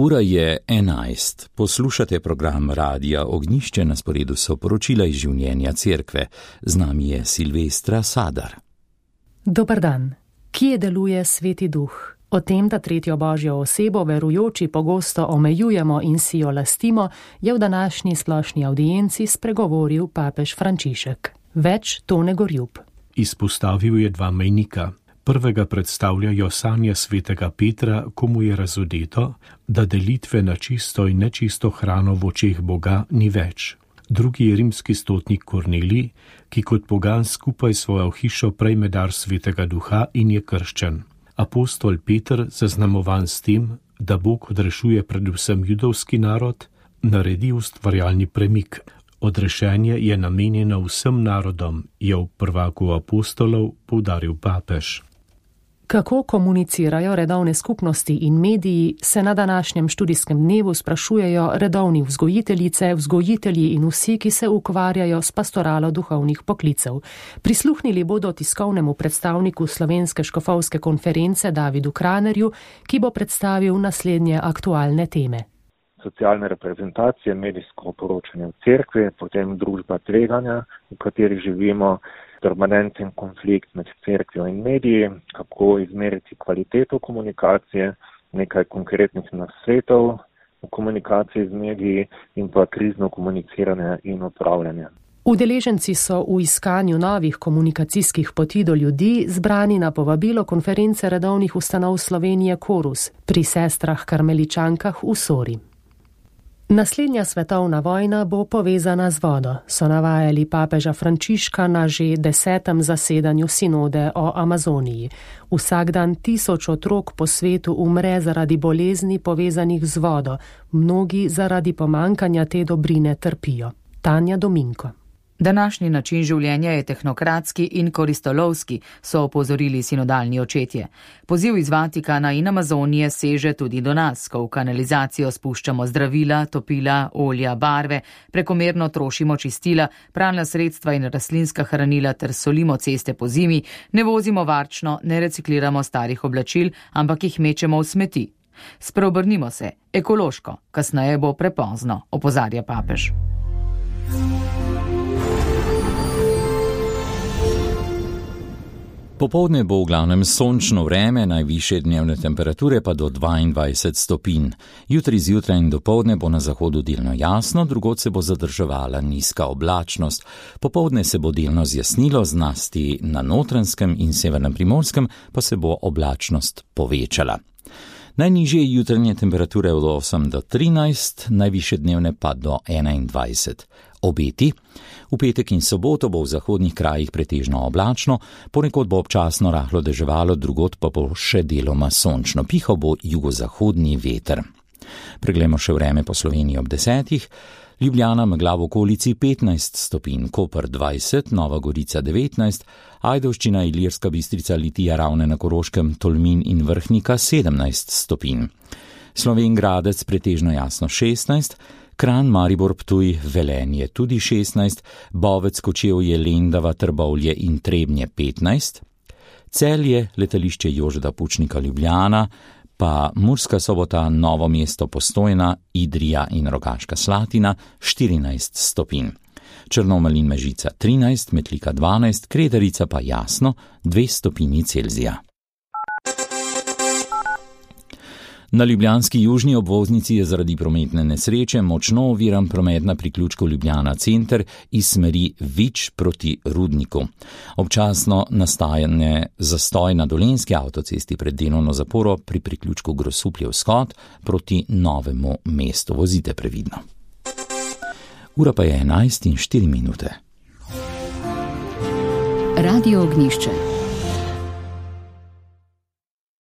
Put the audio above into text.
Ura je 11. Poslušate program Radia Ognjišče, na sporedu so poročila iz življenja cerkve. Z nami je Silvestra Sadar. Dober dan. Kje deluje Sveti Duh? O tem, da tretjo božjo osebo verujoči pogosto omejujemo in si jo lastimo, je v današnji splošni audienci spregovoril papež Frančišek. Več Tone Gorjub. Izpostavil je dva mejnika. Prvega predstavljajo sanje svetega Petra, ko mu je razodeto, da delitve na čisto in nečisto hrano v očeh Boga ni več. Drugi je rimski stotnik Kornelij, ki kot pogan skupaj svojo hišo prejme dar svetega duha in je krščen. Apostol Peter, zaznamovan s tem, da Bog odrešuje predvsem judovski narod, naredi ustvarjalni premik. Odrešenje je namenjeno vsem narodom, je v prvaku apostolov poudaril papež. Kako komunicirajo redovne skupnosti in mediji, se na današnjem študijskem dnevu sprašujejo redovni vzgojiteljice, vzgojitelji in vsi, ki se ukvarjajo s pastoralo duhovnih poklicev. Prisluhnili bodo tiskovnemu predstavniku Slovenske škofovske konference Davidu Kranerju, ki bo predstavil naslednje aktualne teme. Socialne reprezentacije, medijsko poročanje v cerkvi, potem družba tveganja, v kateri živimo, permanenten konflikt med cerkvijo in mediji, kako izmeriti kvaliteto komunikacije, nekaj konkretnih nasvetov v komunikaciji z mediji in pa krizno komuniciranje in upravljanje. Udeleženci so v iskanju novih komunikacijskih poti do ljudi zbrani na povabilo konference redovnih ustanov Slovenije Korus pri sestrah karmeličankah v Sori. Naslednja svetovna vojna bo povezana z vodo, so navajali papeža Frančiška na že 10. zasedanju sinode o Amazoniji. Vsak dan 1000 otrok po svetu umre zaradi bolezni povezanih z vodo, mnogi zaradi pomankanja te dobrine trpijo. Tanja Dominko. Današnji način življenja je tehnokratski in koristolovski, so opozorili sinodalni očetje. Poziv iz Vatikana in Amazonije seže tudi do nas, ko v kanalizacijo spuščamo zdravila, topila, olja, barve, prekomerno trošimo čistila, pralna sredstva in rastlinska hranila ter solimo ceste po zimi, ne vozimo varčno, ne recikliramo starih oblačil, ampak jih mečemo v smeti. Spreobrnimo se, ekološko, kasneje bo prepozno, opozarja papež. Popoldne bo v glavnem sončno vreme, najvišje dnevne temperature pa do 22 stopinj. Jutri zjutraj in dopoldne bo na zahodu delno jasno, drugod se bo zadrževala nizka oblačnost. Popoldne se bo delno zjasnilo, zlasti na Notranjskem in severnem Primorskem pa se bo oblačnost povečala. Najnižje jutranje temperature od 8 do 13, najvišje dnevne pa do 21. Obeti. V petek in soboto bo v zahodnih krajih pretežno oblačno, ponekod bo občasno rahlo deževalo, drugod pa bo še deloma sončno. Pihal bo jugozahodni veter. Preglejmo še vreme po Sloveniji ob 10. Ljubljana megla v okolici 15 stopinj, Koper 20, Nova Gorica 19, Ajdovščina, Ilirska Bistrica, Litija, Ravne na Koroškem, Tolmin in Vrhnika 17 stopinj. Slovenj Gradec pretežno jasno 16, Kranj, Maribor, Ptuj, Velenje tudi 16, Bovec, Kočevje, Lendava, Trbovlje in Trebnje 15, Celje, letališče Jožeta Pučnika Ljubljana, pa Murska Sobota, Novo mesto, Postojna, Idrija in Rogaška Slatina 14 stopinj. Črnomelj in Mežica 13, Metlika 12, Kredarica pa jasno 2 stopinji Celzija. Na ljubljanski južni obvoznici je zaradi prometne nesreče močno oviran promet na priključku Ljubljana center iz smeri Vič proti Rudniku. Občasno nastajanje zastoj na Dolenjski avtocesti pred delovno zaporo pri priključku Grosuplje vzhod proti Novemu mestu. Vozite previdno. Ura pa je 11:04. Radio Ognjišče.